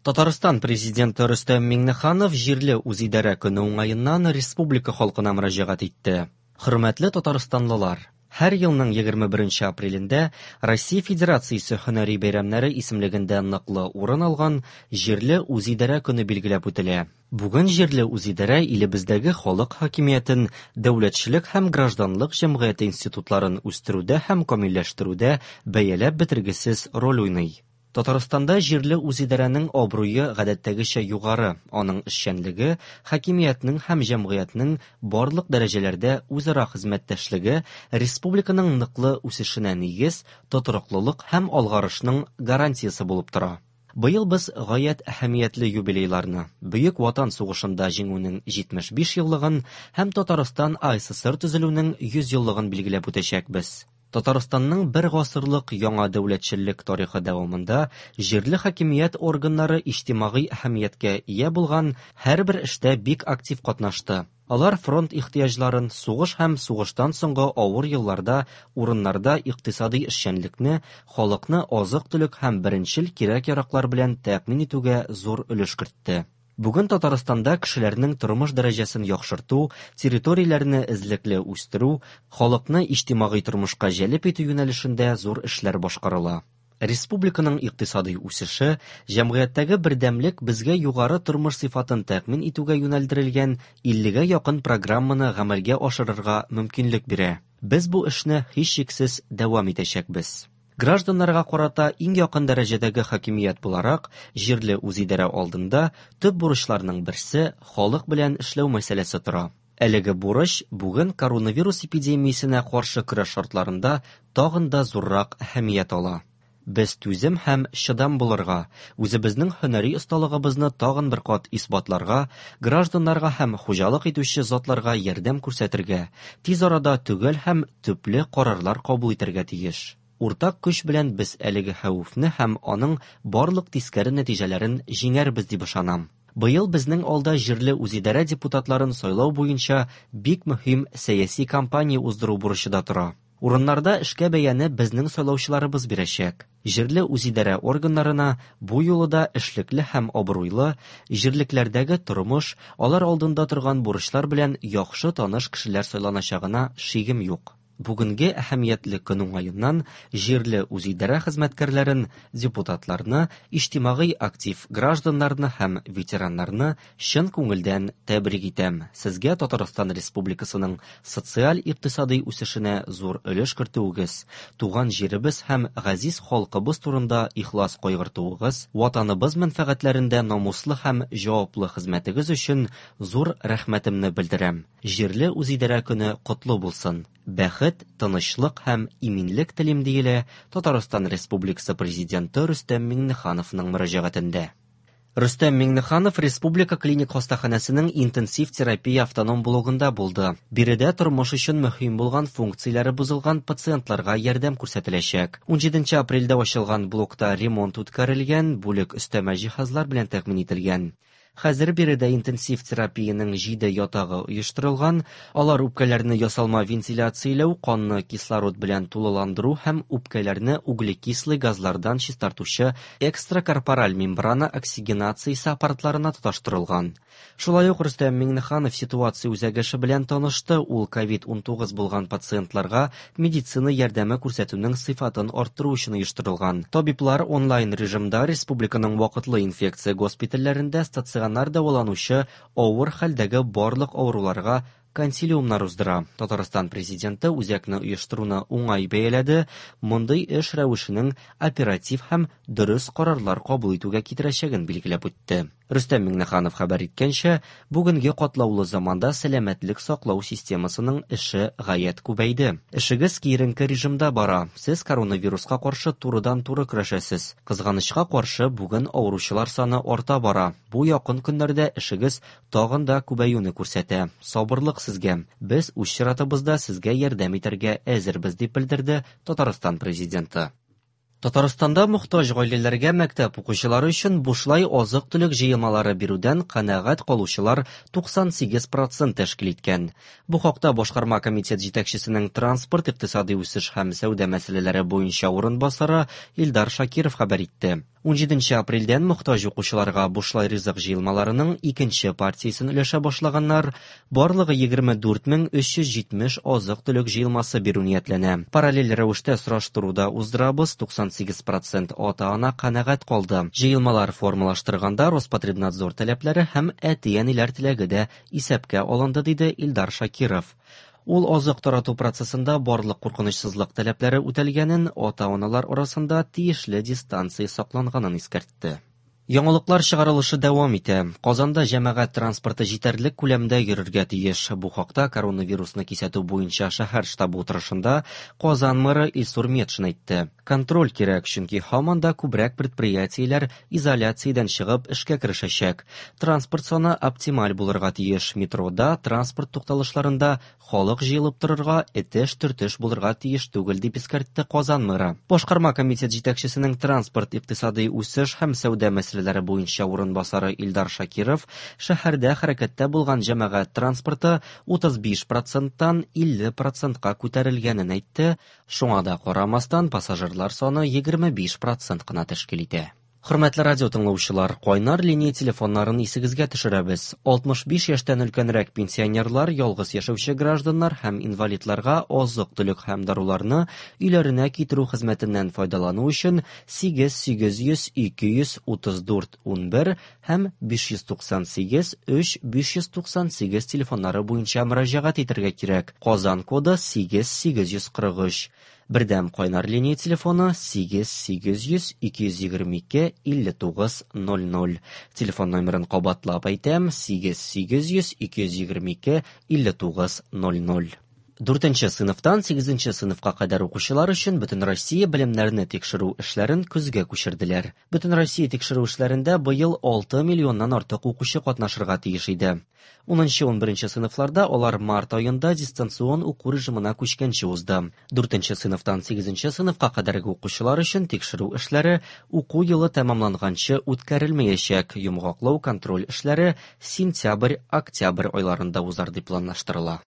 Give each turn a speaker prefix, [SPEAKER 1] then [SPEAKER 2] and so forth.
[SPEAKER 1] Татарстан Президенты Рөстәм Миңнеханов җирле үзидарә көне уңаеннан республика халкына мөрәҗәгать итте. Хөрмәтле татарстанлылар! Һәр елның 21 апрелендә Россия Федерациясе һөнәри бәйрәмнәре исемлегендә ныклы урын алган җирле үзидарә көне билгеләп үтелә. Бүген җирле үзидарә илебездәге халык хакимиятен, дәүләтчелек һәм гражданлык җәмгыяте институтларын үстерүдә һәм камилләштерүдә бәяләп бетергесез роль уйный. Татарстанда җирле үзидарәнең абруе гадәттәгечә югары, аның эшчәнлеге, хакимиятнең һәм җәмгыятьнең барлык дәрәҗәләрдә үзара хезмәттәшлеге республиканың ныклы үсешенә нигез, тотрыклылык һәм алгарышның гарантиясе булып тора. Быел без гаять әһәмиятле юбилейларны, Бөек Ватан сугышында Җиңүнең 75 еллыгын һәм Татарстан АССР төзелүнең 100 еллыгын билгеләп үтәчәкбез. Татарстанның бер гасырлык яңа дәүләтчелек тарихы дәвамында җирле хакимият органнары иҗтимагый әһәмияткә ия булган һәрбер эштә бик актив катнашты. Алар фронт ихтыяҗларын, сугыш һәм сугыштан соңгы авыр елларда урыннарда икътисадый эшчәнлекне, халыкны азык-төлек һәм беренчел кирәк-яраклар белән тәэмин итүгә зур өлеш кертте. Бүген Татарстанда кешеләрнең тормыш дәрәҗәсен яхшырту, территорияләрне эзлекле үстерү, халыкны иҗтимагый тормышка җәлеп итү юнәлешендә зур эшләр башкарыла. Республиканың икътисадый үсеше, җәмгыятьтәге бердәмлек безгә югары тормыш сыйфатын тәэмин итүгә юнәлдерелгән иллегә якын программаны гамәлгә ашырырга мөмкинлек бирә. Без бу эшне һичшиксез дәвам итәчәкбез. Гражданнарга карата иң якын дәрәҗәдәге хакимият буларак, җирле үзидарә алдында төп бурычларның берсе халык белән эшләү мәсьәләсе тора. Әлеге бурыч бүген коронавирус эпидемиясенә каршы көрәш шартларында тагын да зуррак әһәмият ала. Без түзем һәм чыдам булырга, үзебезнең һөнәри осталыгыбызны тагын бер кат исбатларга, гражданнарга һәм хуҗалык итүче затларга ярдәм күрсәтергә, тиз арада төгәл һәм төпле карарлар кабул итәргә тиеш. Уртак көч белән без әлеге хәвефне һәм аның барлык тискәре нәтиҗәләрен җиңәрбез дип ышанам. Быел безнең алда җирле үзидарә депутатларын сайлау буенча бик мөһим сәяси кампания уздыру бурычы да тора. Урыннарда эшкә бәяне безнең сайлаучыларыбыз бирәчәк. Җирле үзидарә органнарына бу юлы да эшлекле һәм абруйлы, җирлекләрдәге тормыш, алар алдында торган бурычлар белән яхшы таныш кешеләр сайланачагына шигем юк. Бүгенге әһәмиятле көн уңаеннан җирле үзидарә хезмәткәрләрен, депутатларны, иҗтимагый актив гражданнарны һәм ветераннарны чын күңелдән тәбрик итәм. Сезгә Татарстан Республикасының социаль-икътисадый үсешенә зур өлеш кертүегез, туган җиребез һәм газиз халкыбыз турында ихлас кайгыртуыгыз, Ватаныбыз мәнфәгатьләрендә намуслы һәм җаваплы хезмәтегез өчен зур рәхмәтемне белдерәм. Җирле үзидарә көне котлы булсын! Бәхет, тынычлык һәм иминлек телим, диелә Татарстан Республикасы Президенты Рөстәм Миңнехановның мөрәҗәгатендә. Рөстәм Миңнеханов Республика клиник хастаханәсенең интенсив терапия автоном блогында булды. Биредә тормыш өчен мөһим булган функцияләре бозылган пациентларга ярдәм күрсәтеләчәк. 17 апрельдә ачылган блокта ремонт үткәрелгән, бүлек өстәмә җиһазлар белән тәэмин ителгән. Хәзер биредә интенсив терапиянең җиде ятагы оештырылган, алар үпкәләрне ясалма вентиляцияләү, канны кислород белән тулыландыру һәм үпкәләрне углекислый газлардан чистартучы экстракорпораль мембрана оксигенациясе аппаратларына тоташтырылган. Шулай ук Рөстәм Миңнеханов ситуация үзәге эше белән танышты, ул ковид-19 булган пациентларга медицина ярдәме күрсәтүнең сыйфатын арттыру өчен оештырылган. Табиблар онлайн режимда республиканың вакытлы инфекция госпитальләрендә стационар дәваланучы авыр хәлдәге барлык авыруларга консилиумнар уздыра. Татарстан Президенты үзәкне оештыруны уңай бәяләде, мондый эш рәвешенең оператив һәм дөрес карарлар кабул итүгә китерәчәген билгеләп үтте. Рөстәм Миңнеханов хәбәр иткәнчә, бүгенге катлаулы заманда сәламәтлек саклау системасының эше гаять күбәйде. Эшегез киеренке режимда бара, сез коронавируска каршы турыдан-туры көрәшәсез. Кызганычка каршы, бүген авыручылар саны арта бара. Бу якын көннәрдә эшегез тагын да күбәюне күрсәтә. Сабырлык сезгә. Без үз чиратыбызда сезгә ярдәм итәргә әзербез, дип белдерде Татарстан Президенты. Татарстанда мохтаҗ гаиләләргә мәктәп укучылары өчен бушлай азык-төлек җыелмалары бирүдән канәгать калучылар 98 процент тәшкил иткән. Бу хакта Башкарма комитет җитәкчесенең транспорт, икътисадый үсеш һәм сәүдә мәсьәләләре буенча урынбасары Илдар Шакиров хәбәр итте. 17 апрельдән мохтаҗ укучыларга бушлай ризык җыелмаларының икенче партиясен өләшә башлаганнар. Барлыгы 24370 азык-төлек җыелмасы бирү ниятләнә. Параллель рәвештә сораштыру да уздырабыз, 98 процент ата-ана канәгать калды. Җыелмалар формалаштырганда Роспотребнадзор таләпләре һәм әти-әниләр теләге дә исәпкә алынды, диде Илдар Шакиров. Ул азык тарату процессында барлык куркынычсызлык таләпләре үтәлгәнен, ата-аналар арасында тиешле дистанция сакланганын искәртте. Яңалыклар чыгарылышы дәвам итә. Казанда җәмәгать транспорты җитәрлек күләмдә йөрергә тиеш. Бу хакта коронавирусны кисәтү буенча шәһәр штабы утырышында Казан мэры Илсур Метшин әйтте. Контроль кирәк, чөнки һаман да күбрәк предприятиеләр изоляциядән чыгып эшкә керешәчәк. Транспорт саны оптималь булырга тиеш. Метрода, транспорт тукталышларында халык җыелып торырга, этеш-төртеш булырга тиеш түгел, дип искәртте Казан мэры. Башкарма комитет җитәкчесенең транспорт, икътисадый үсеш һәм сәүдә мәсьәләләре буенча урынбасары Илдар Шакиров шәһәрдә хәрәкәттә булган җәмәгать транспорты 35 проценттан 50 процентка күтәрелгәнен әйтте, шуңа да карамастан пассажирлар саны 25 процент кына тәшкил итә. Хөрмәтле радио тыңлаучылар, кайнар линия телефоннарын исегезгә төшерәбез. 65 яшьтән өлкәнрәк пенсионерлар, ялгыз яшәүче гражданнар һәм инвалидларга азык-төлек һәм даруларны өйләренә китерү хезмәтеннән файдалану өчен 8 800 234 11 һәм 598 3 598 телефоннары буенча мөрәҗәгать итәргә кирәк. Казан коды 8 843. Бердәм кайнар линия телефоны 8 800 222 59 00. Телефон номерын кабатлап әйтәм: 8 800 222 59 00. Дүртенче сыйныфтан сигезенче сыйныфка кадәр укучылар өчен Бөтенроссия белемнәрне тикшерү эшләрен көзгә күчерделәр. Бөтенроссия тикшерү эшләрендә быел 6 миллионнан артык укучы катнашырга тиеш иде. 10-11 сыйныфларда алар март аенда дистанцион уку режимына күчкәнче узды. 4 сыйныфтан 8 сыйныфка кадәрге укучылар өчен тикшерү эшләре уку елы тәмамланганчы үткәрелмәячәк. Йомгаклау контроль эшләре сентябрь-октябрь айларында узар дип планлаштырыла.